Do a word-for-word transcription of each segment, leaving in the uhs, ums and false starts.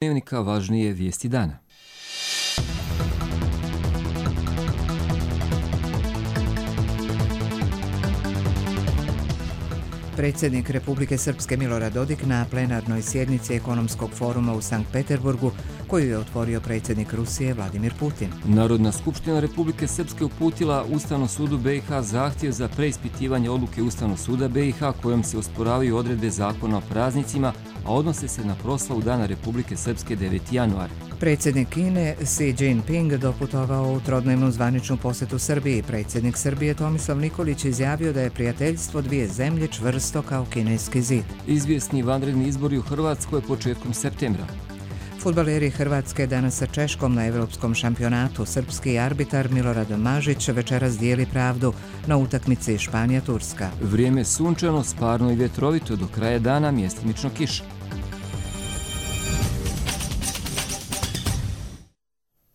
Dnevnika važnije vijesti dana. Predsjednik Republike Srpske Milorad Dodik na plenarnoj sjednici ekonomskog foruma u Sankt Peterburgu, koju je otvorio predsjednik Rusije Vladimir Putin. Narodna skupština Republike Srpske uputila Ustavnom sudu B i H zahtjev za preispitivanje odluke Ustavnog suda B i H kojom se osporavaju odredbe zakona o praznicima, a odnose se na proslavu Dana Republike Srpske deveti januar. Predsjednik Kine Xi Jinping doputovao u trodnevnu zvaničnu posjetu Srbiji. Predsjednik Srbije Tomislav Nikolić izjavio da je prijateljstvo dvije zemlje čvrsto kao kineski zid. Izvjesni vanredni izbori u Hrvatskoj početkom septembra. Fudbaleri Hrvatske danas sa Češkom na evropskom šampionatu. Srpski arbitar Milorad Mažić večeras dijeli pravdu na utakmici Španija-Turska. Vrijeme sunčano, sparno i vjetrovito, do kraja dana mjestimično kiša.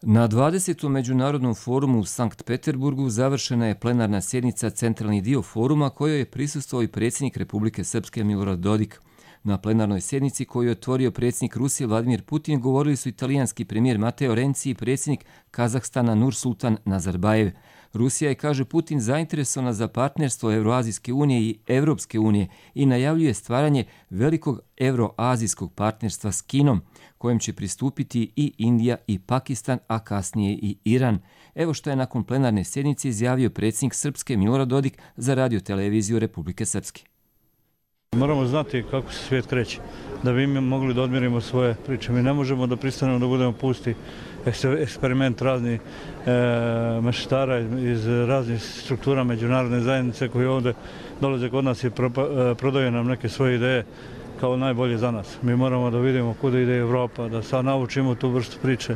Na dvadesetom međunarodnom forumu u Sankt Peterburgu završena je plenarna sjednica Centralni dio foruma kojoj je prisustvovao i predsjednik Republike Srpske Milorad Dodik. Na plenarnoj sjednici koju je otvorio predsjednik Rusije Vladimir Putin govorili su italijanski premijer Matteo Renzi i predsjednik Kazahstana Nursultan Nazarbajev. Rusija je, kaže Putin, zainteresovana za partnerstvo Euroazijske unije i Evropske unije i najavljuje stvaranje velikog euroazijskog partnerstva s Kinom, kojem će pristupiti i Indija i Pakistan, a kasnije i Iran. Evo što je nakon plenarne sjednice izjavio predsjednik Srpske Milorad Dodik za radioteleviziju Republike Srpske. Moramo znati kako se svijet kreće, da bi mi mogli da odmjerimo svoje priče. Mi ne možemo da pristanemo da budemo pusti eksperiment raznih e, mešetara iz raznih struktura međunarodne zajednice koji ovdje dolaze kod nas i propa, prodaju nam neke svoje ideje kao najbolje za nas. Mi moramo da vidimo kuda ide Evropa, da sad naučimo tu vrstu priče,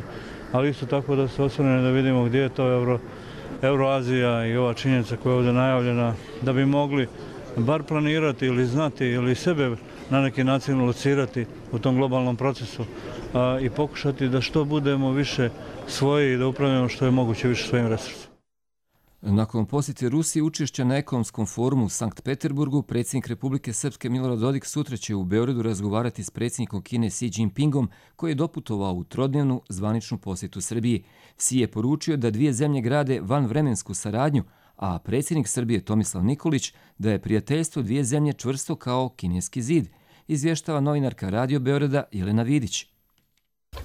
ali isto tako da se osvrnemo da vidimo gdje je to Euro, Euroazija i ova činjenica koja je ovdje najavljena, da bi mogli bar planirati ili znati ili sebe na neki način locirati u tom globalnom procesu a, i pokušati da što budemo više svoji i da upravljamo što je moguće više svojim resursima. Nakon posjete Rusije učešća na ekonomskom forumu u Sankt Peterburgu, predsjednik Republike Srpske Milorad Dodik sutra će u Beogradu razgovarati s predsjednikom Kine Xi Jinpingom koji je doputovao u trodnevnu zvaničnu posjetu Srbiji. Xi je poručio da dvije zemlje grade vanvremensku saradnju, a predsjednik Srbije Tomislav Nikolić da je prijateljstvo dvije zemlje čvrsto kao kineski zid, izvještava novinarka Radio Beograda Jelena Vidić.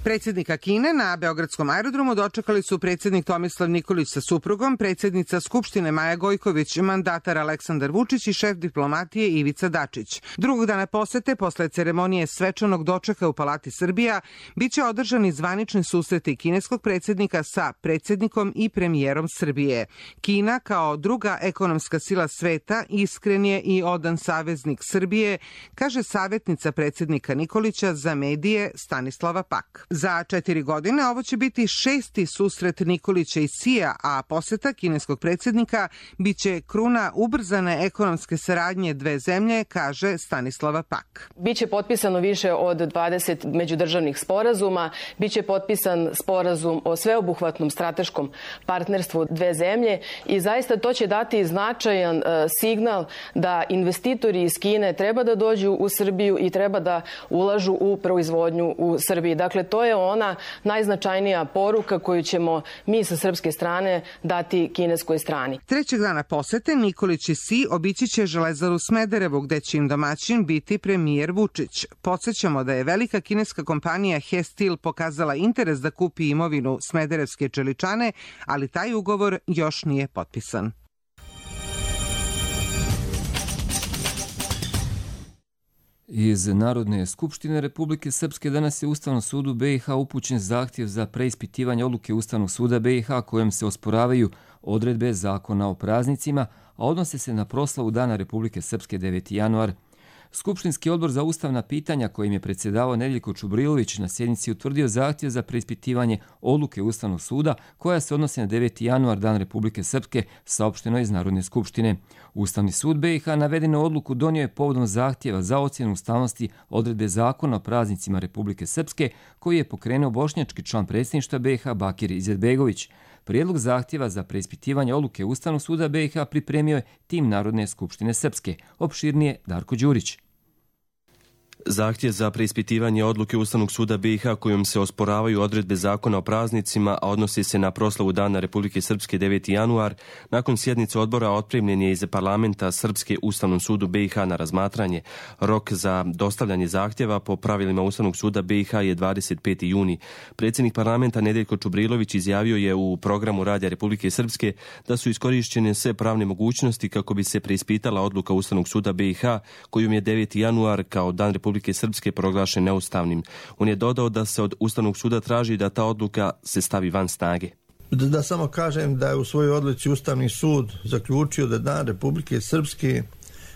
Predsjednika Kine na Beogradskom aerodromu dočekali su predsjednik Tomislav Nikolić sa suprugom, predsjednica Skupštine Maja Gojković, mandatar Aleksandar Vučić i šef diplomatije Ivica Dačić. Drugog dana posete, posle ceremonije svečanog dočeka u Palati Srbija, biće održani zvanični susreti kineskog predsjednika sa predsjednikom i premijerom Srbije. Kina, kao druga ekonomska sila sveta, iskren je i odan saveznik Srbije, kaže savjetnica predsjednika Nikolića za medije Stanislava Pak. Za četiri godine ovo će biti šesti susret Nikolića i Xija, a posjeta kineskog predsjednika biće kruna ubrzane ekonomske saradnje dve zemlje, kaže Stanislava Pak. Biće potpisano više od dvadeset međudržavnih sporazuma, biće potpisan sporazum o sveobuhvatnom strateškom partnerstvu dve zemlje i zaista to će dati značajan uh, signal da investitori iz Kine treba da dođu u Srbiju i treba da ulažu u proizvodnju u Srbiji. Dakle, to je ona najznačajnija poruka koju ćemo mi sa srpske strane dati kineskoj strani. Trećeg dana posete Nikolić i Xi obići će Železaru Smederevo, gde će im domaćin biti premijer Vučić. Podsjećamo da je velika kineska kompanija He Steel pokazala interes da kupi imovinu Smederevske čeličane, ali taj ugovor još nije potpisan. Iz Narodne skupštine Republike Srpske danas je Ustavnom sudu B i H upućen zahtjev za preispitivanje odluke Ustavnog suda B i H kojom se osporavaju odredbe zakona o praznicima, a odnose se na proslavu Dana Republike Srpske deveti januar. Skupštinski odbor za ustavna pitanja kojim je predsjedavao Nedeljko Čubrilović na sjednici utvrdio zahtjev za preispitivanje odluke Ustavnog suda koja se odnosi na deveti januar, Dan Republike Srpske, saopšteno iz Narodne skupštine. Ustavni sud B i H navedenu odluku donio je povodom zahtjeva za ocjenu ustavnosti odredbe zakona o praznicima Republike Srpske koji je pokrenuo bošnjački član predsjedništva B i H Bakir Izetbegović. Prijedlog zahtjeva za preispitivanje odluke Ustavnog suda B i H pripremio je tim Narodne skupštine Srpske. Opširnije Darko Đurić. Zahtjev za preispitivanje odluke Ustavnog suda B i H kojom se osporavaju odredbe zakona o praznicima, a odnosi se na proslavu Dana Republike Srpske deveti januar, nakon sjednice odbora otpremljen je iz parlamenta Srpske Ustavnom sudu B i H na razmatranje. Rok za dostavljanje zahtjeva po pravilima Ustavnog suda B i H je dvadeset peti juni. Predsjednik parlamenta Nedeljko Čubrilović izjavio je u programu Radija Republike Srpske da su iskorišćene sve pravne mogućnosti kako bi se preispitala odluka Ustavnog suda B i H kojom je deveti januar kao Dan Republike Srpske proglašen neustavnim. On je dodao da se od Ustavnog suda traži da ta odluka se stavi van snage. Da, da samo kažem da je u svojoj odluci Ustavni sud zaključio da Dan Republike Srpske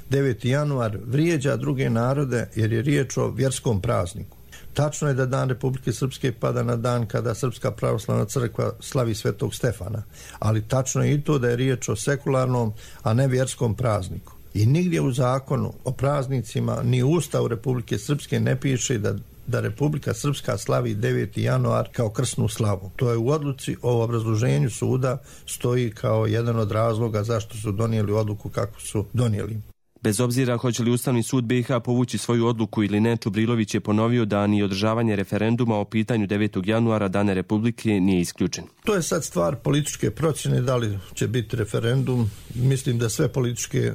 deveti januar vrijeđa druge narode jer je riječ o vjerskom prazniku. Tačno je da Dan Republike Srpske pada na dan kada Srpska pravoslavna crkva slavi Svetog Stefana, ali tačno je i to da je riječ o sekularnom, a ne vjerskom prazniku. I nigdje u zakonu o praznicima ni u Ustavu Republike Srpske ne piše da, da Republika Srpska slavi deveti januar kao krsnu slavu. To je u odluci o obrazloženju suda stoji kao jedan od razloga zašto su donijeli odluku kako su donijeli. Bez obzira hoće li Ustavni sud B i H povući svoju odluku ili ne, Čubrilović je ponovio da ni održavanje referenduma o pitanju devetog januara Dana Republike nije isključen. To je sad stvar političke procjene, da li će biti referendum. Mislim da sve političke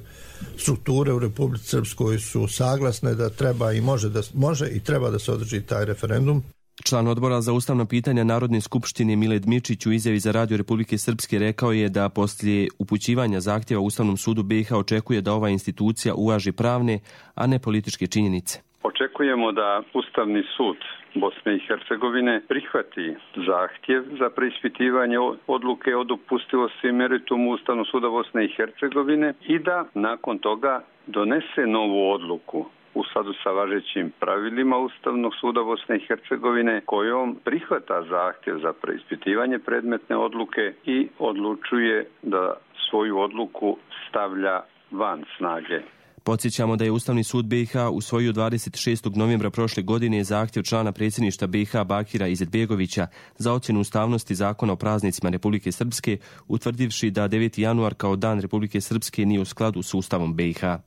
strukture u Republici Srpskoj su saglasne da treba i može, da, može i treba da se održi taj referendum. Član odbora za ustavna pitanja Narodne skupštine Miled Mičić u izjavi za Radio Republike Srpske rekao je da poslije upućivanja zahtjeva Ustavnom sudu B i H očekuje da ova institucija uvaži pravne, a ne političke činjenice. Očekujemo da Ustavni sud Bosne i Hercegovine prihvati zahtjev za preispitivanje odluke o dopustivosti i meritumu Ustavnog suda Bosne i Hercegovine i da nakon toga donese novu odluku u skladu sa važećim pravilima Ustavnog suda Bosne i Hercegovine kojom prihvata zahtjev za preispitivanje predmetne odluke i odlučuje da svoju odluku stavlja van snage. Podsjećamo da je Ustavni sud B i H usvojio dvadeset šestog novembra prošle godine zahtjev člana predsjedništva B i H Bakira Izetbegovića za ocjenu ustavnosti zakona o praznicima Republike Srpske, utvrdivši da deveti januar kao Dan Republike Srpske nije u skladu s Ustavom B i H.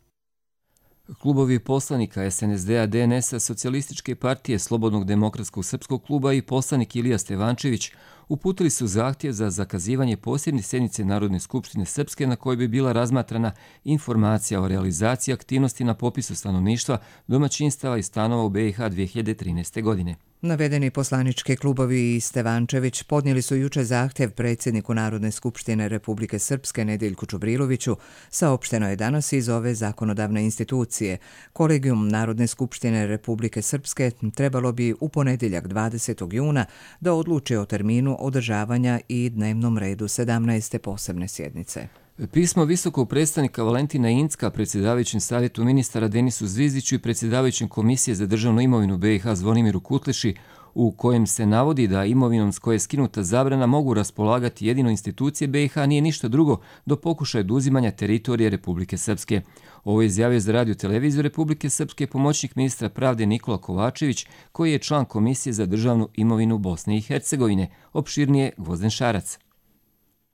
Klubovi poslanika es en es de a, de en es a, Socijalističke partije, Slobodnog demokratskog srpskog kluba i poslanik Ilija Stevančević uputili su zahtjev za zakazivanje posebne sjednice Narodne skupštine Srpske na kojoj bi bila razmatrana informacija o realizaciji aktivnosti na popisu stanovništva, domaćinstava i stanova u B i H dvije hiljade trinaeste. godine. Navedeni poslanički klubovi i Stevančević podnijeli su juče zahtjev predsjedniku Narodne skupštine Republike Srpske Nedeljku Čubriloviću, saopšteno je danas iz ove zakonodavne institucije. Kolegijum Narodne skupštine Republike Srpske trebalo bi u ponedjeljak dvadesetog juna da odluči o terminu održavanja i dnevnom redu sedamnaeste posebne sjednice. Pismo visokog predstavnika Valentina Incka predsjedavajućem savjetu ministara Denisu Zvizdiću i predsjedavajućem Komisije za državnu imovinu B i H Zvonimiru Kutleši, u kojem se navodi da imovinom s koje je skinuta zabrana mogu raspolagati jedino institucije B i H, nije ništa drugo do pokušaja oduzimanja teritorije Republike Srpske. Ovo je izjavio za Radio televiziju Republike Srpske pomoćnik ministra pravde Nikola Kovačević, koji je član Komisije za državnu imovinu Bosne i Hercegovine. Opširnije Gvozden Šarac.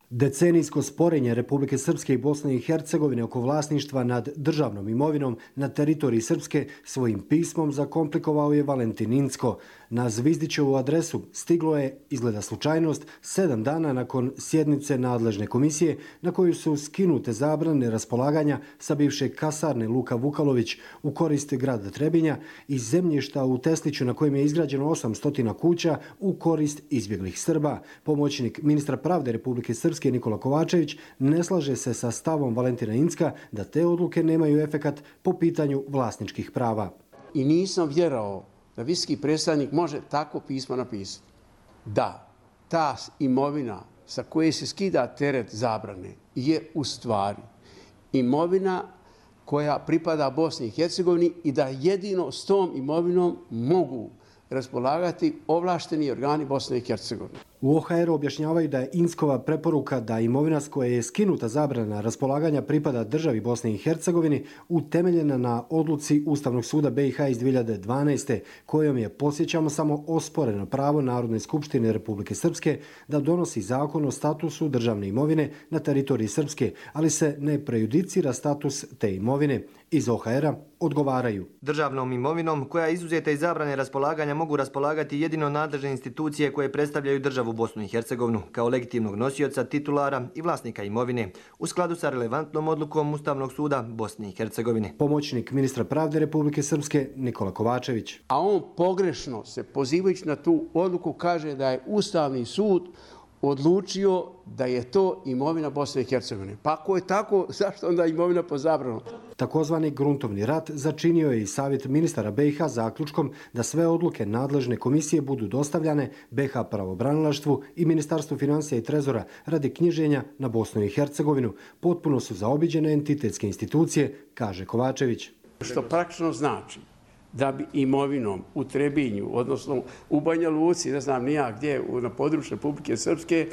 Decenijsko sporenje Republike Srpske i Bosne i Hercegovine oko vlasništva nad državnom imovinom na teritoriji Srpske svojim pismom zakomplikovao je Valentin Incko. Na Zvizdićevu adresu stiglo je, izgleda slučajnost, sedam dana nakon sjednice nadležne komisije na koju su skinute zabrane raspolaganja sa bivše kasarne Luka Vukalović u korist grada Trebinja i zemljišta u Tesliću na kojem je izgrađeno osamsto kuća u korist izbjeglih Srba. Pomoćnik ministra pravde Republike Srpske Nikola Kovačević ne slaže se sa stavom Valentina Incka da te odluke nemaju efekat po pitanju vlasničkih prava. I nisam vjerao da visoki predstavnik može tako pismo napisati. Da, ta imovina sa koje se skida teret zabrane je u stvari imovina koja pripada Bosni i Hercegovini i da jedino s tom imovinom mogu raspolagati ovlašteni organi Bosne i Hercegovine. U O H R objašnjavaju da je Inckova preporuka da imovina s koje je skinuta zabrana raspolaganja pripada državi Bosne i Hercegovini utemeljena na odluci Ustavnog suda B i H iz dvije hiljade dvanaeste. kojom je, podsjećamo, samo osporeno pravo Narodne skupštine Republike Srpske da donosi zakon o statusu državne imovine na teritoriji Srpske, ali se ne prejudicira status te imovine. Iz O H R-a odgovaraju. Državnom imovinom koja je izuzeta iz zabrane raspolaganja mogu raspolagati jedino nadležne institucije koje predstavljaju državu Bosnu i Hercegovinu kao legitimnog nosioca, titulara i vlasnika imovine u skladu sa relevantnom odlukom Ustavnog suda Bosne i Hercegovine. Pomoćnik ministra pravde Republike Srpske Nikola Kovačević. A on pogrešno se pozivajući na tu odluku kaže da je Ustavni sud odlučio da je to imovina Bosne i Hercegovine. Pa ako je tako, zašto onda imovina po zabranu? Takozvani gruntovni rat začinio je i Savjet ministara B i H zaključkom da sve odluke nadležne komisije budu dostavljane B i H pravobranilaštvu i Ministarstvu financija i trezora radi knjiženja na Bosnu i Hercegovinu. Potpuno su zaobiđene entitetske institucije, kaže Kovačević. Što praktično znači da bi imovinom u Trebinju, odnosno u Banja Luci, ne znam nija gdje, na području Republike Srpske,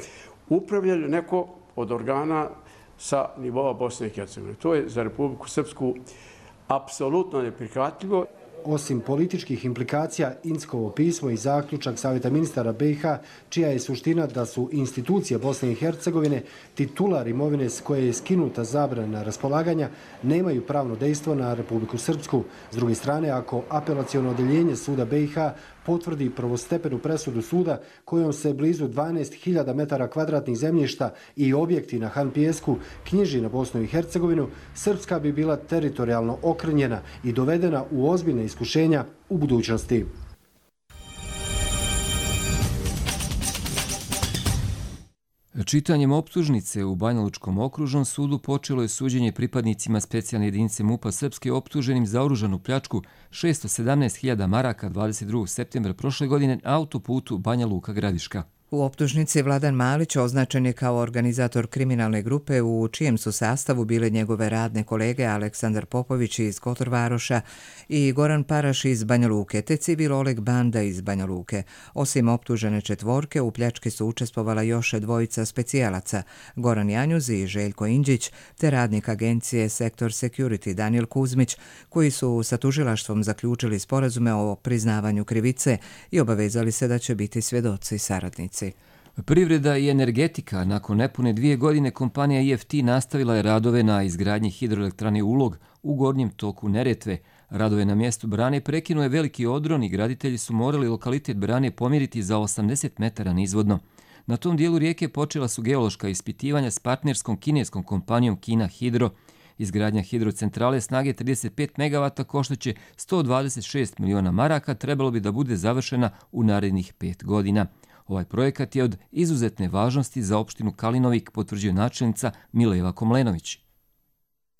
upravljali neko od organa sa nivoa Bosne i Hercegovine. To je za Republiku Srpsku apsolutno neprihvatljivo. Osim političkih implikacija, Inckovo pismo i zaključak Savjeta ministara B i H, čija je suština da su institucije Bosne i Hercegovine titular imovine s koje je skinuta zabrana raspolaganja, nemaju pravno dejstvo na Republiku Srpsku. S druge strane, ako apelaciono odeljenje suda B i H potvrdi prvostepenu presudu suda kojom se blizu dvanaest hiljada metara kvadratnih zemljišta i objekti na Han Pijesku knjiži na Bosnu i Hercegovinu, Srpska bi bila teritorijalno okrnjena i dovedena u ozbiljne iskušenja u budućnosti. Čitanjem optužnice u Banjalučkom okružnom sudu počelo je suđenje pripadnicima specijalne jedinice MUP-a Srpske optuženim za oružanu pljačku šesto sedamnaest hiljada maraka dvadeset drugog septembra prošle godine na autoputu Banja Luka-Gradiška. U optužnici Vladan Malić označen je kao organizator kriminalne grupe u čijem su sastavu bile njegove radne kolege Aleksandar Popović iz Kotorvaroša i Goran Paraš iz Banja Luke, te civil Oleg Banda iz Banja Luke. Osim optužene četvorke, u pljački su učestvovala još dvojica specijalaca, Goran Janjuz i Željko Inđić, te radnik agencije Sektor Security Daniel Kuzmić, koji su sa tužilaštvom zaključili sporazume o priznavanju krivice i obavezali se da će biti svjedoci i saradnici. Privreda i energetika. Nakon nepune dvije godine kompanija I F T nastavila je radove na izgradnji hidroelektrane Ulog u gornjem toku Neretve. Radove na mjestu brane prekinuo je veliki odron i graditelji su morali lokalitet brane pomjeriti za osamdeset metara nizvodno. Na tom dijelu rijeke počela su geološka ispitivanja s partnerskom kineskom kompanijom Kina Hidro. Izgradnja hidrocentrale snage trideset pet megavata koštaće sto dvadeset šest miliona maraka, trebalo bi da bude završena u narednih pet godina. Ovaj projekat je od izuzetne važnosti za opštinu Kalinovik, potvrđuje načelnica Mileva Komlenović.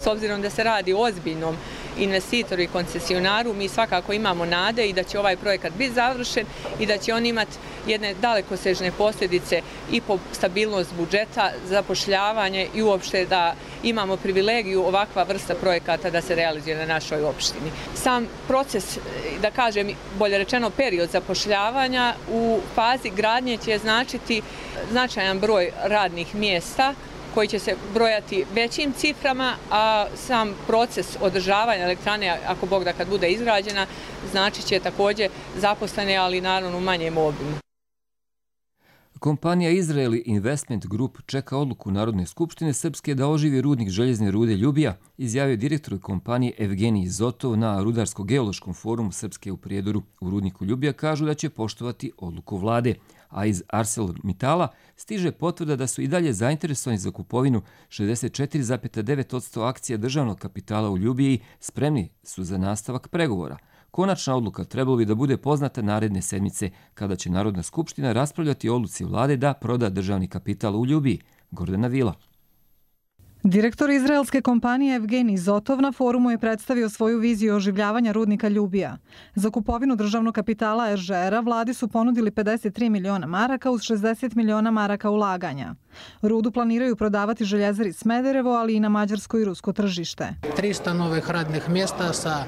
S obzirom da se radi o ozbiljnom investitoru i koncesionaru, mi svakako imamo nade i da će ovaj projekat biti završen i da će on imati jedne dalekosežne posljedice i po stabilnost budžeta, zapošljavanje i uopšte da imamo privilegiju ovakva vrsta projekata da se realizuje na našoj opštini. Sam proces, da kažem, bolje rečeno period zapošljavanja u fazi gradnje će značiti značajan broj radnih mjesta koji će se brojati većim ciframa, a sam proces održavanja elektrane, ako Bog da kad bude izgrađena, znači će također zaposlene, ali naravno u manjem obimu. Kompanija Izraeli Investment Group čeka odluku Narodne skupštine Srpske da oživi rudnik željezne rude Ljubija, izjavio direktor kompanije Evgenij Zotov na Rudarsko-geološkom forumu Srpske u Prijedoru. U rudniku Ljubija kažu da će poštovati odluku vlade, a iz ArcelorMittala stiže potvrda da su i dalje zainteresovani za kupovinu šezdeset četiri zarez devet posto akcija državnog kapitala u Ljubiji, spremni su za nastavak pregovora. Konačna odluka trebalo bi da bude poznata naredne sedmice, kada će Narodna skupština raspravljati o odluci vlade da proda državni kapital u Ljubiji. Gordana Vila. Direktor izraelske kompanije Evgenij Zotov na forumu je predstavio svoju viziju oživljavanja rudnika Ljubija. Za kupovinu državnog kapitala er že era vladi su ponudili pedeset tri miliona maraka uz šezdeset miliona maraka ulaganja. Rudu planiraju prodavati željezari Smederevo, ali i na mađarsko i rusko tržište. tristo novih radnih mjesta sa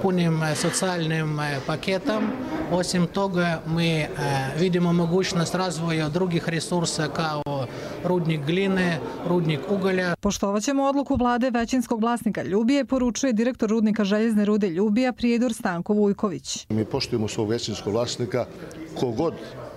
punim socijalnim paketom. Osim toga, mi vidimo mogućnost razvoja drugih resursa kao rudnik gline, rudnik ugalja. Poštovaćemo odluku vlade većinskog vlasnika Ljubije, poručuje direktor rudnika željezne rude Ljubija Prijedor Stanko Vujković. Mi poštujemo svog većinskog vlasnika. Kogod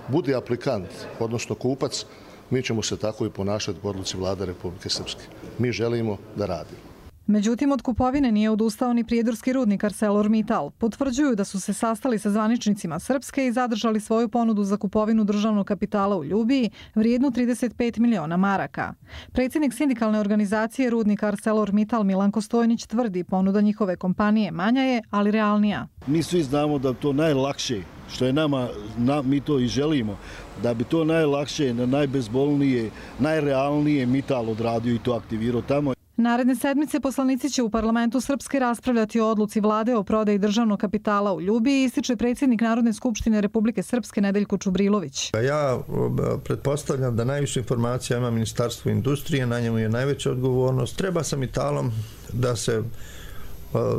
bude aplikant, odnosno kupac, mi ćemo se tako i ponašati po odluci vlade Republike Srpske. Mi želimo da radimo. Međutim, od kupovine nije odustao ni prijedorski rudnik ArcelorMittal. Potvrđuju da su se sastali sa zvaničnicima Srpske i zadržali svoju ponudu za kupovinu državnog kapitala u Ljubiji vrijednu trideset pet miliona maraka. Predsjednik sindikalne organizacije rudnika ArcelorMittal Milanko Stojnić tvrdi ponuda njihove kompanije manja je, ali realnija. Mi svi znamo da to najlakše, što je nama, na, mi to i želimo, da bi to najlakše, najbezbolnije, najrealnije Mittal odradio i to aktivirao tamo. Naredne sedmice poslanici će u parlamentu Srpske raspravljati o odluci vlade o prodaji državnog kapitala u Ljubiji, ističe predsjednik Narodne skupštine Republike Srpske Nedeljko Čubrilović. Ja pretpostavljam da najviše informacija ima Ministarstvo industrije, na njemu je najveća odgovornost. Treba sa Mittalom da se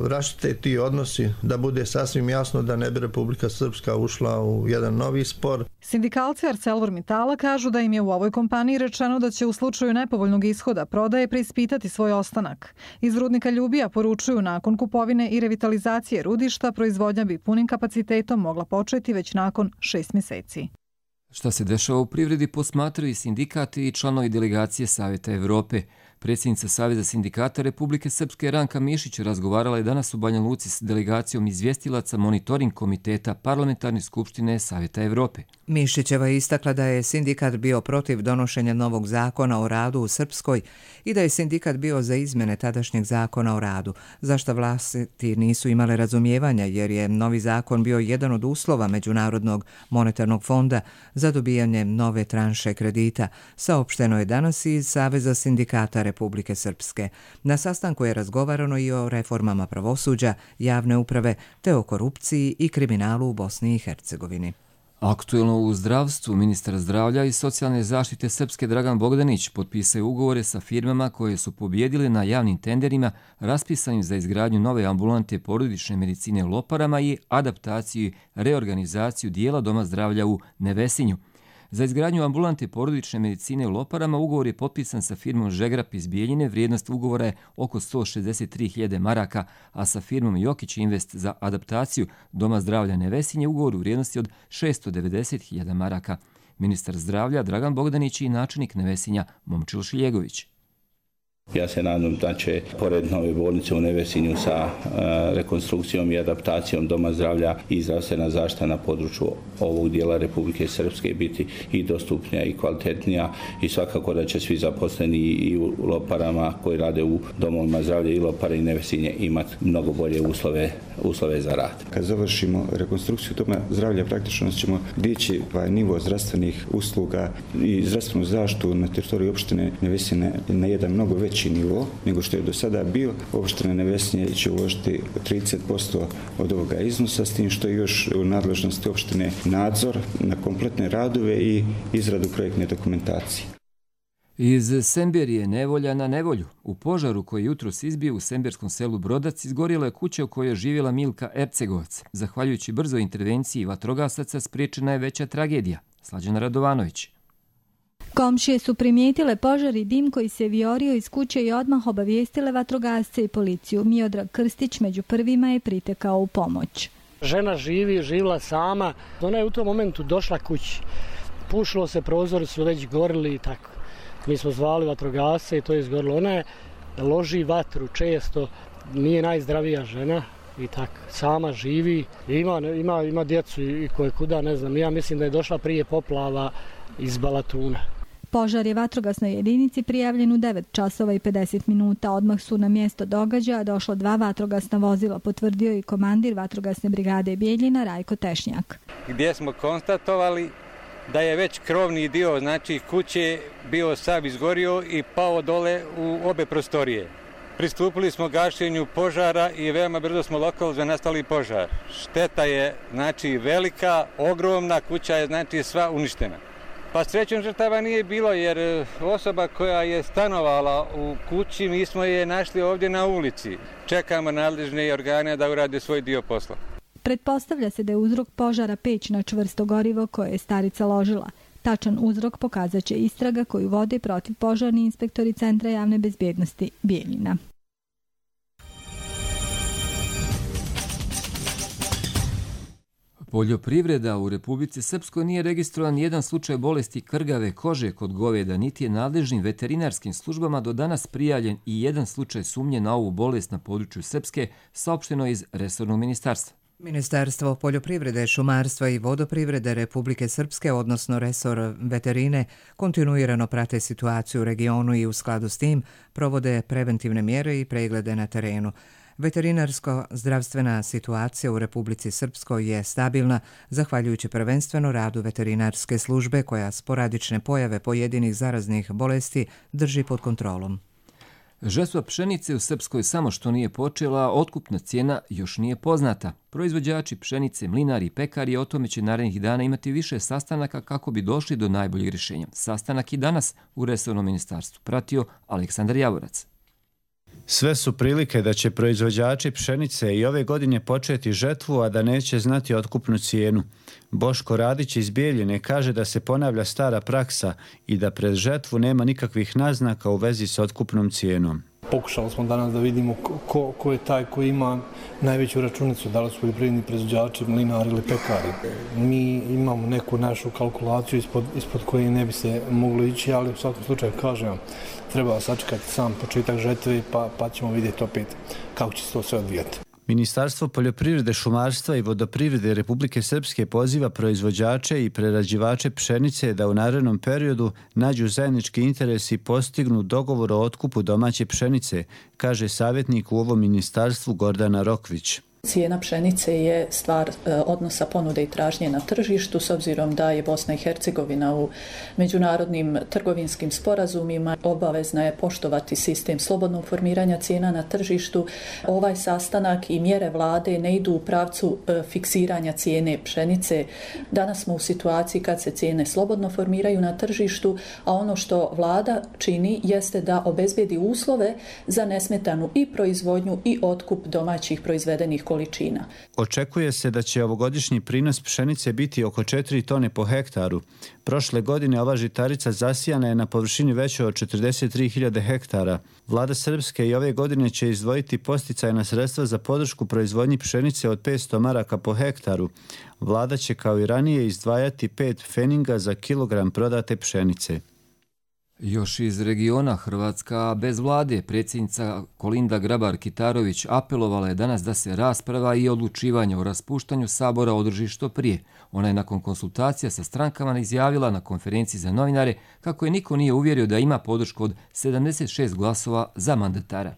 raštite ti odnosi, da bude sasvim jasno da ne bi Republika Srpska ušla u jedan novi spor. Sindikalci ArcelorMittala kažu da im je u ovoj kompaniji rečeno da će u slučaju nepovoljnog ishoda prodaje preispitati svoj ostanak. Iz rudnika Ljubija poručuju nakon kupovine i revitalizacije rudišta proizvodnja bi punim kapacitetom mogla početi već nakon šest mjeseci. Šta se dešava u privredi posmatraju i sindikati i članovi delegacije Savjeta Evrope. Predsjednica Saveza sindikata Republike Srpske Ranka Mišić razgovarala je danas u Banja Luci s delegacijom izvjestilaca monitoring komiteta Parlamentarne skupštine Savjeta Evrope. Mišićeva je istakla da je sindikat bio protiv donošenja novog zakona o radu u Srpskoj i da je sindikat bio za izmjene tadašnjeg zakona o radu, za što vlasti nisu imale razumijevanja jer je novi zakon bio jedan od uslova Međunarodnog monetarnog fonda za dobijanje nove tranše kredita, saopšteno je danas iz Saveza sindikata Republike Srpske. Na sastanku je razgovarano i o reformama pravosuđa, javne uprave, te o korupciji i kriminalu u Bosni i Hercegovini. Aktuelno u zdravstvu, ministar zdravlja i socijalne zaštite Srpske Dragan Bogdanić potpisao ugovore sa firmama koje su pobjedile na javnim tenderima raspisanim za izgradnju nove ambulante porodične medicine u Loparama i adaptaciju i reorganizaciju dijela doma zdravlja u Nevesinju. Za izgradnju ambulante porodične medicine u Loparama ugovor je potpisan sa firmom Žegrap iz Bijeljine, vrijednost ugovora je oko sto šezdeset tri hiljade maraka, a sa firmom Jokić Invest za adaptaciju doma zdravlja Nevesinje ugovor u vrijednosti od šesto devedeset hiljada maraka. Ministar zdravlja Dragan Bogdanić i načelnik Nevesinja Momčil Šiljegović. Ja se nadam da će, pored nove bolnice u Nevesinju sa uh, rekonstrukcijom i adaptacijom doma zdravlja i zdravstvena zaštita na području ovog dijela Republike Srpske biti i dostupnija i kvalitetnija i svakako da će svi zaposleni i u Loparama koji rade u domovima zdravlja i Lopare i Nevesinje imati mnogo bolje uslove, uslove za rad. Kad završimo rekonstrukciju doma zdravlja, praktično ćemo dići ovaj nivo zdravstvenih usluga i zdravstvenu zaštitu na teritoriji opštine Nevesine na jedan mnogo veći nivo nego što je do sada bio. Opština Nevesinje će uložiti trideset posto od ovoga iznosa, s tim što je još u nadležnosti opštine nadzor na kompletne radove i izradu projektne dokumentacije. Iz Semberije nevolja na nevolju. U požaru koji jutros izbio u semberskom selu Brodac izgorjela je kuća u kojoj je živjela Milka Ercegovac. Zahvaljujući brzoj intervenciji vatrogasaca spriječena je veća tragedija. Slađana Radovanović. Komšije su primijetile požar i dim koji se viorio iz kuće i odmah obavijestile vatrogasce i policiju. Miodrag Krstić među prvima je pritekao u pomoć. Žena živi, živjela sama. Ona je u tom momentu došla kući. Pušilo se, prozori su već gorili i tako. Mi smo zvali vatrogasce i to je izgorilo. Ona je loži vatru često, nije najzdravija žena i tako. Sama živi, ima, ima, ima djecu i koje kuda, ne znam. Ja mislim da je došla prije poplava iz Balatuna. Požar je vatrogasnoj jedinici prijavljen u devet časova i pedeset minuta. Odmah su na mjesto događaja došlo dva vatrogasna vozila, potvrdio i komandir vatrogasne brigade Bijeljina Rajko Tešnjak. Gdje smo konstatovali da je već krovni dio, znači kuće, bio sav izgorio i pao dole u obe prostorije. Pristupili smo gašenju požara i veoma brzo smo lokalizovali nastali požar. Šteta je znači velika, ogromna, kuća je znači sva uništena. Pa srećom žrtava nije bilo jer osoba koja je stanovala u kući, mi smo je našli ovdje na ulici. Čekamo nadležne organe da urade svoj dio posla. Pretpostavlja se da je uzrok požara peć na čvrsto gorivo koje je starica ložila. Tačan uzrok pokazat će istraga koju vode protiv požarni inspektori Centra javne bezbjednosti Bijeljina. Poljoprivreda u Republici Srpskoj nije registrovan jedan slučaj bolesti krgave kože kod goveda, niti je nadležnim veterinarskim službama do danas prijavljen i jedan slučaj sumnje na ovu bolest na području Srpske, saopšteno iz resornog ministarstva. Ministarstvo poljoprivrede, šumarstva i vodoprivrede Republike Srpske, odnosno resor veterine, kontinuirano prate situaciju u regionu i u skladu s tim provode preventivne mjere i preglede na terenu. Veterinarsko-zdravstvena situacija u Republici Srpskoj je stabilna, zahvaljujući prvenstveno radu veterinarske službe koja sporadične pojave pojedinih zaraznih bolesti drži pod kontrolom. Žetva pšenice u Srpskoj samo što nije počela, otkupna cijena još nije poznata. Proizvođači pšenice, mlinari i pekari o tome će narednih dana imati više sastanaka kako bi došli do najboljeg rješenja. Sastanak i danas u resornom ministarstvu pratio Aleksandar Javorac. Sve su prilike da će proizvođači pšenice i ove godine početi žetvu, a da neće znati otkupnu cijenu. Boško Radić iz Bijeljine kaže da se ponavlja stara praksa i da pred žetvu nema nikakvih naznaka u vezi s otkupnom cijenom. Pokušali smo danas da vidimo ko, ko je taj koji ima najveću računicu, da li su poljoprivredni proizvođači, mlinari ili pekari. Mi imamo neku našu kalkulaciju ispod, ispod koje ne bi se moglo ići, ali u svakom slučaju kažem, treba sačekati sam početak žetve pa, pa ćemo vidjeti opet kako će se to sve odvijati. Ministarstvo poljoprivrede, šumarstva i vodoprivrede Republike Srpske poziva proizvođače i prerađivače pšenice da u narednom periodu nađu zajednički interes i postignu dogovor o otkupu domaće pšenice, kaže savjetnik u ovom ministarstvu Gordana Rokvić. Cijena pšenice je stvar odnosa ponude i tražnje na tržištu, s obzirom da je Bosna i Hercegovina u međunarodnim trgovinskim sporazumima obavezna je poštovati sistem slobodnog formiranja cijena na tržištu. Ovaj sastanak i mjere vlade ne idu u pravcu fiksiranja cijene pšenice. Danas smo u situaciji kad se cijene slobodno formiraju na tržištu, a ono što vlada čini jeste da obezbedi uslove za nesmetanu i proizvodnju i otkup domaćih proizvedenih količina. Očekuje se da će ovogodišnji prinos pšenice biti oko četiri tone po hektaru. Prošle godine ova žitarica zasijana je na površini većoj od četrdeset tri hiljade hektara. Vlada Srpske i ove godine će izdvojiti posticajna sredstva za podršku proizvodnji pšenice od petsto maraka po hektaru. Vlada će kao i ranije izdvajati pet feninga za kilogram prodate pšenice. Još iz regiona Hrvatska bez vlade, predsjednica Kolinda Grabar-Kitarović apelovala je danas da se rasprava i odlučivanje o raspuštanju Sabora održi što prije. Ona je nakon konsultacija sa strankama izjavila na konferenciji za novinare kako je niko nije uvjerio da ima podršku od sedamdeset šest glasova za mandatara.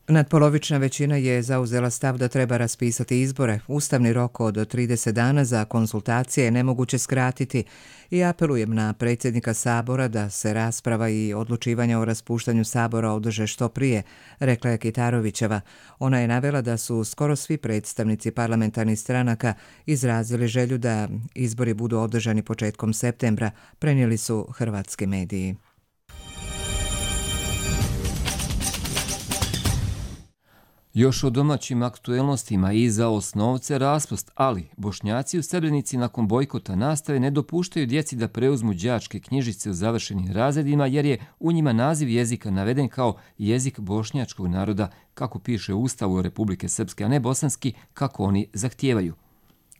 Nadpolovična većina je zauzela stav da treba raspisati izbore. Ustavni rok od trideset dana za konsultacije je nemoguće skratiti i apelujem na predsjednika Sabora da se rasprava i odlučivanje o raspuštanju Sabora održe što prije, rekla je Kitarovićeva. Ona je navela da su skoro svi predstavnici parlamentarnih stranaka izrazili želju da izbori budu održani početkom septembra, prenijeli su hrvatski mediji. Još o domaćim aktuelnostima i za osnovce raspust, ali Bošnjaci u Srebrenici nakon bojkota nastave ne dopuštaju djeci da preuzmu đačke knjižice u završenim razredima jer je u njima naziv jezika naveden kao jezik bošnjačkog naroda, kako piše u Ustavu Republike Srpske, a ne bosanski, kako oni zahtijevaju.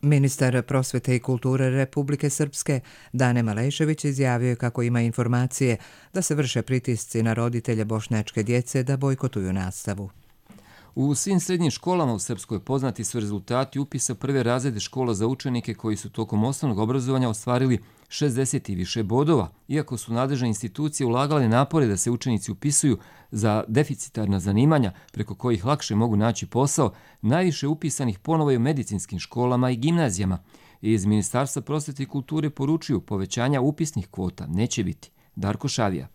Ministar prosvete i kulture Republike Srpske Dane Malešević izjavio je kako ima informacije da se vrše pritisci na roditelje bošnjačke djece da bojkotuju nastavu. U svim srednjim školama u Srpskoj poznati su rezultati upisa prve razrede škola za učenike koji su tokom osnovnog obrazovanja ostvarili šezdeset i više bodova. Iako su nadležne institucije ulagale napore da se učenici upisuju za deficitarna zanimanja preko kojih lakše mogu naći posao, najviše upisanih ponovo je u medicinskim školama i gimnazijama. Iz Ministarstva prosvete i kulture poručuju povećanja upisnih kvota neće biti. Darko Šavija.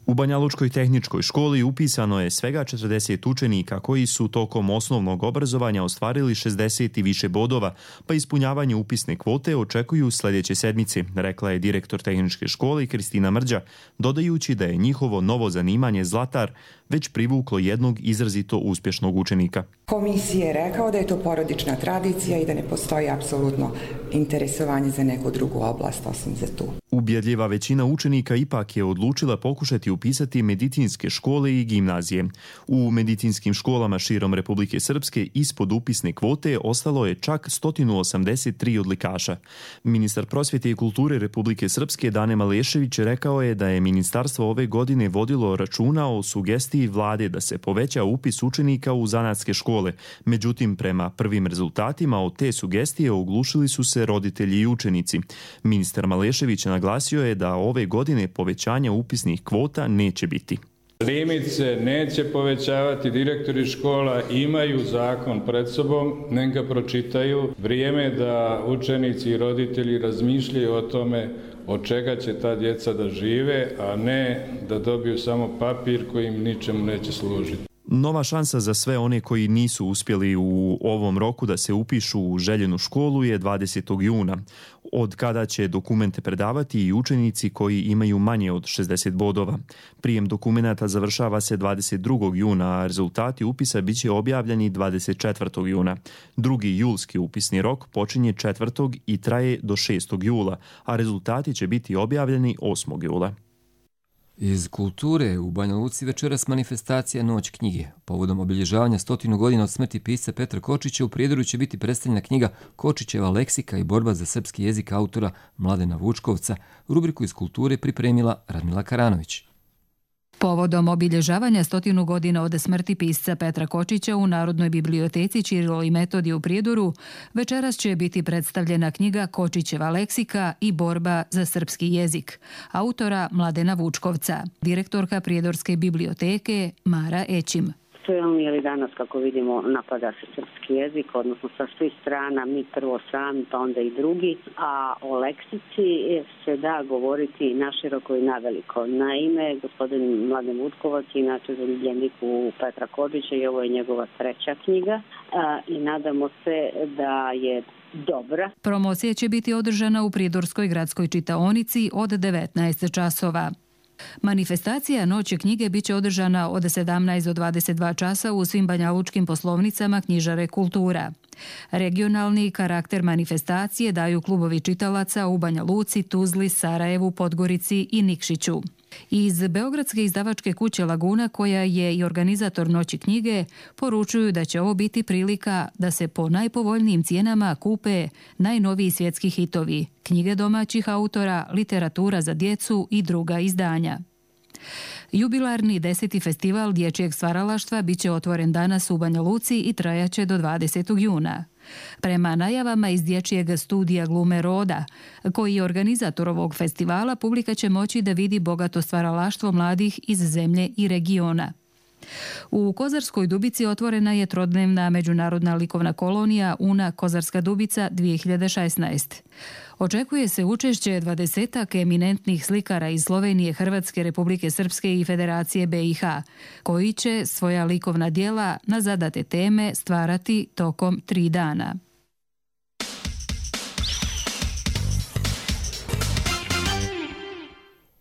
U Banjalučkoj tehničkoj školi upisano je svega četrdeset učenika koji su tokom osnovnog obrazovanja ostvarili šezdeset i više bodova, pa ispunjavanje upisne kvote očekuju sljedeće sedmice, rekla je direktor tehničke škole Kristina Mrđa, dodajući da je njihovo novo zanimanje zlatar već privuklo jednog izrazito uspješnog učenika. Komisija je rekao da je to porodična tradicija i da ne postoji apsolutno interesovanje za neku drugu oblast osim za tu. Ubjedljiva većina učenika ipak je odlučila pokušati upisati medicinske škole i gimnazije. U medicinskim školama širom Republike Srpske ispod upisne kvote ostalo je čak sto osamdeset tri odlikaša. Ministar prosvjete i kulture Republike Srpske Dane Malešević rekao je da je ministarstvo ove godine vodilo računa o sugestiji vlade da se poveća upis učenika u zanatske škole. Međutim, prema prvim rezultatima od te sugestije oglušili su se roditelji i učenici. Ministar Malešević naglasio je da ove godine povećanja upisnih kvota neće biti. Limit se neće povećavati, direktori škola imaju zakon pred sobom, nek ga pročitaju. Vrijeme je da učenici i roditelji razmišljaju o tome od čega će ta djeca da žive, a ne da dobiju samo papir koji im ničemu neće služiti. Nova šansa za sve one koji nisu uspjeli u ovom roku da se upišu u željenu školu je dvadesetog juna, od kada će dokumente predavati i učenici koji imaju manje od šezdeset bodova. Prijem dokumenata završava se dvadeset drugog juna, a rezultati upisa bit će objavljeni dvadeset četvrtog juna. Drugi julski upisni rok počinje četvrtog i traje do šestog jula, a rezultati će biti objavljeni osmog jula. Iz kulture u Banja Luci večeras manifestacija Noć knjige. Povodom obilježavanja stotinu godina od smrti pisca Petra Kočića u Prijedoru će biti predstavljena knjiga Kočićeva leksika i borba za srpski jezik autora Mladena Vučkovca. Rubriku iz kulture pripremila Radmila Karanović. Povodom obilježavanja stotinu godina od smrti pisca Petra Kočića u Narodnoj biblioteci Ćirilo i Metodije u Prijedoru, večeras će biti predstavljena knjiga Kočićeva leksika i borba za srpski jezik, autora Mladena Vučkovca, direktorka Prijedorske biblioteke Mara Ećim. Film ili danas, kako vidimo, napada se srpski jezik, odnosno sa svih strana, mi prvo sami, pa onda i drugi, a o leksici se da govoriti naširoko i naveliko. Naime, gospodin Mladen Vučkovac je inače zaljubljenik u Petra Kočića i ovo je njegova treća knjiga i nadamo se da je dobra. Promocija će biti održana u Prijedorskoj gradskoj čitaonici od devetnaest časova. Manifestacija Noći knjige biće održana od sedamnaest do dvadeset dva časa u svim banjalučkim poslovnicama knjižare Kultura. Regionalni karakter manifestacije daju klubovi čitalaca u Banja Luci, Tuzli, Sarajevu, Podgorici i Nikšiću. Iz Beogradske izdavačke kuće Laguna, koja je i organizator Noći knjige, poručuju da će ovo biti prilika da se po najpovoljnijim cijenama kupe najnoviji svjetski hitovi, knjige domaćih autora, literatura za djecu i druga izdanja. Jubilarni deseti festival dječjeg stvaralaštva biće otvoren danas u Banja Luci i trajaće do dvadesetog juna. Prema najavama iz dječjeg studija Glume Roda, koji je organizator ovog festivala, publika će moći da vidi bogato stvaralaštvo mladih iz zemlje i regiona. U Kozarskoj Dubici otvorena je trodnevna međunarodna likovna kolonija Una Kozarska Dubica dvije hiljade šesnaest. Očekuje se učešće dvadesetak eminentnih slikara iz Slovenije, Hrvatske, Republike Srpske i Federacije B i H, koji će svoja likovna djela na zadate teme stvarati tokom tri dana.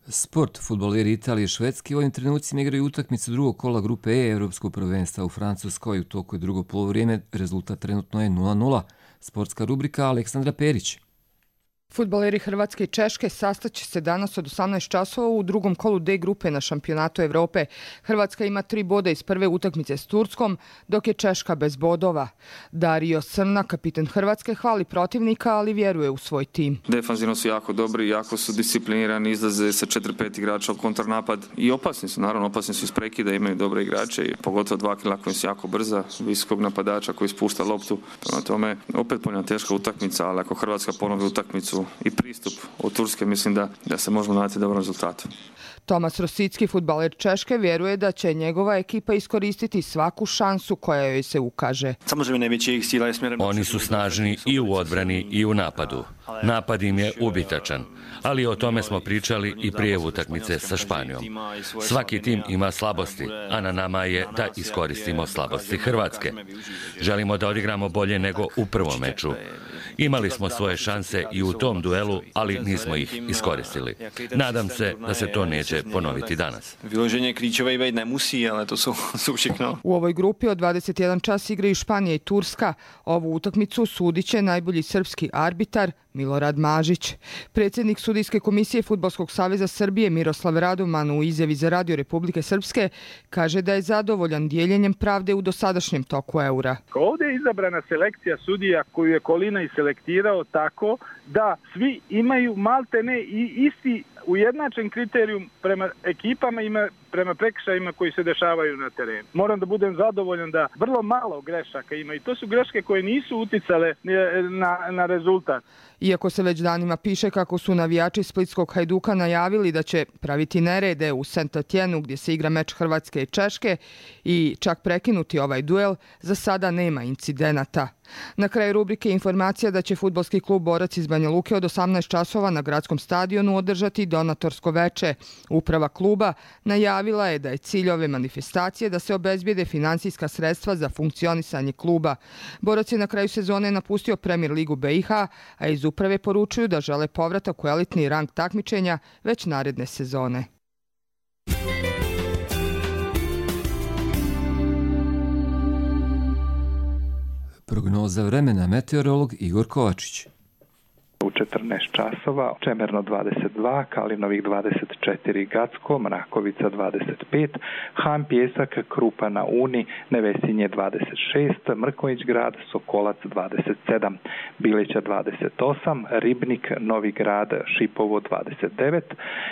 Sport. Fudbaleri Italije i Švedske u ovim trenucima igraju utakmicu drugog kola grupe E Evropskog prvenstva u Francuskoj. U toku je drugo polovrijeme, rezultat trenutno je nula nula. Sportska rubrika Aleksandra Perić. Fudbaleri Hrvatske i Češke sastaće se danas od osamnaest časova u drugom kolu D grupe na šampionatu Evrope. Hrvatska ima tri boda iz prve utakmice s Turskom, dok je Češka bez bodova. Dario Srna, kapiten Hrvatske, hvali protivnika, ali vjeruje u svoj tim. Defanzivno su jako dobri, jako su disciplinirani, izlaze sa četiri pet igrača u kontrnapad i opasni su, naravno opasni su iz prekida, imaju dobre igrače i pogotovo dva kila koji su jako brza, visokog napadača koji spušta loptu. Prema tome, opet ponja teška utakmica, ali ako Hrvatska ponovi utakmicu utakmicu i pristup od Turske, mislim da, da se možemo nadati dobrom rezultatu. Tomas Rosicki, fudbaler Češke, vjeruje da će njegova ekipa iskoristiti svaku šansu koja joj se ukaže. Oni su snažni i u odbrani i u napadu. Napad im je ubitačan, ali o tome smo pričali i prije utakmice sa Španijom. Svaki tim ima slabosti, a na nama je da iskoristimo slabosti Hrvatske. Želimo da odigramo bolje nego u prvom meču. Imali smo svoje šanse i u tom duelu, ali nismo ih iskoristili. Nadam se da se to neće ponoviti danas. U ovoj grupi od dvadeset jedan čas igraju Španija i Turska. Ovu utakmicu sudit će najbolji srpski arbitar Milorad Mažić. Predsjednik sudijske komisije Fudbalskog saveza Srbije Miroslav Radoman u izjavi za Radio Republike Srpske kaže da je zadovoljan dijeljenjem pravde u dosadašnjem toku eura. Ovdje je izabrana selekcija sudija koju je Kolina i selektirao tako da svi imaju maltene i isti ujednačen kriterijum prema ekipama i prema prekršajima koji se dešavaju na terenu. Moram da budem zadovoljan da vrlo malo grešaka ima i to su greške koje nisu uticale na, na rezultat. Iako se već danima piše kako su navijači Splitskog Hajduka najavili da će praviti nerede u Saint-Etienne gdje se igra meč Hrvatske i Češke i čak prekinuti ovaj duel, za sada nema incidenata. Na kraju rubrike informacija da će fudbalski klub Borac iz Banja Luke od osamnaest časova na gradskom stadionu održati donatorsko veče. Uprava kluba najavila je da je cilj ove manifestacije da se obezbijede finansijska sredstva za funkcionisanje kluba. Borac je na kraju sezone napustio Premier ligu B i H, a iz uprave poručuju da žele povratak u elitni rang takmičenja već naredne sezone. Prognoza vremena, meteorolog Igor Kovačić. U četrnaest časova, Čemerno dvadeset dva, Kalinovih dvadeset četiri, Gacko, Mrakovica dvadeset pet, Han Pjesak, Krupa na Uni, Nevesinje dvadeset šest, Mrković grad, Sokolac dvadeset sedam, Bilića dvadeset osam, Ribnik, Novi grad, Šipovo dvadeset devet,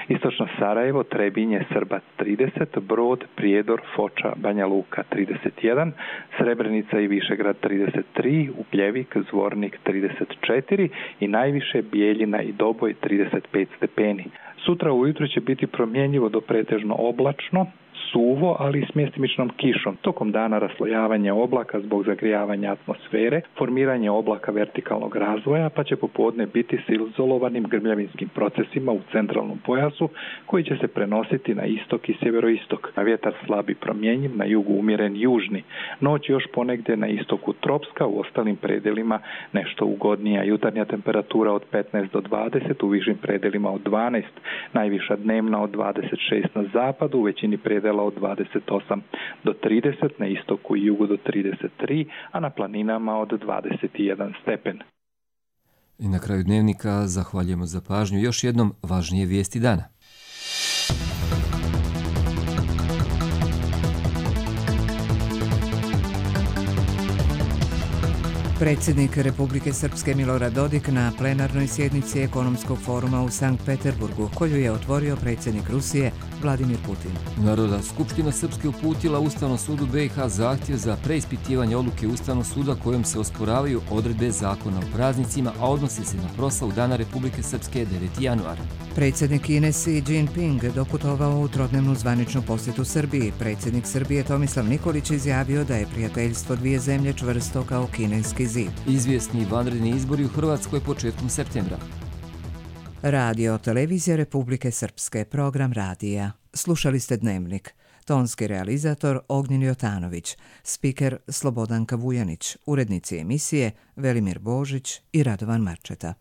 Istočno Sarajevo, Trebinje, Srbac trideset, Brod, Prijedor, Foča, Banja Luka trideset jedan, Srebrenica i Višegrad trideset tri, Upljevik, Zvornik trideset četiri i najviše Bijeljina i Doboj trideset pet stepeni. Sutra ujutro će biti promjenjivo do pretežno oblačno, suvo, ali i s mjestimičnom kišom. Tokom dana raslojavanje oblaka zbog zagrijavanja atmosfere, formiranje oblaka vertikalnog razvoja, pa će popodne biti s izolovanim grmljavinskim procesima u centralnom pojasu koji će se prenositi na istok i sjeveroistok. A vjetar slabi promjenjiv, na jugu umjeren južni. Noć još ponegdje na istoku tropska, u ostalim predelima nešto ugodnija. Jutarnja temperatura od petnaest do dvadeset, u višim predelima od dvanaest, najviša dnevna od dvadeset šest na zapadu, u većini predela od dvadeset osam do trideset, na istoku i jugu do trideset tri, a na planinama od dvadeset jedan stepen. I na kraju dnevnika zahvaljujemo za pažnju. Još jednom važnije vijesti dana. Predsjednik Republike Srpske Milorad Dodik na plenarnoj sjednici ekonomskog foruma u Sankt Peterburgu, koju je otvorio predsjednik Rusije Vladimir Putin. Narodna skupština Srpske uputila Ustavnom sudu B i H zahtjev za preispitivanje odluke Ustavnog suda kojom se osporavaju odredbe zakona o praznicima, a odnosi se na proslavu Dana Republike Srpske deveti januar. Predsjednik Kine Xi Jinping doputovao u trodnevnu zvaničnu posjetu Srbiji. Predsjednik Srbije Tomislav Nikolić izjavio da je prijateljstvo dvije zemlje čvrsto kao kineski zid. Izvjesni vanredni izbori u Hrvatskoj početkom septembra. Radio Televizija Republike Srpske, program radija. Slušali ste Dnevnik. Tonski realizator Ognjen Jotanović, spiker Slobodanka Vujanić, urednici emisije Velimir Božić i Radovan Marčeta.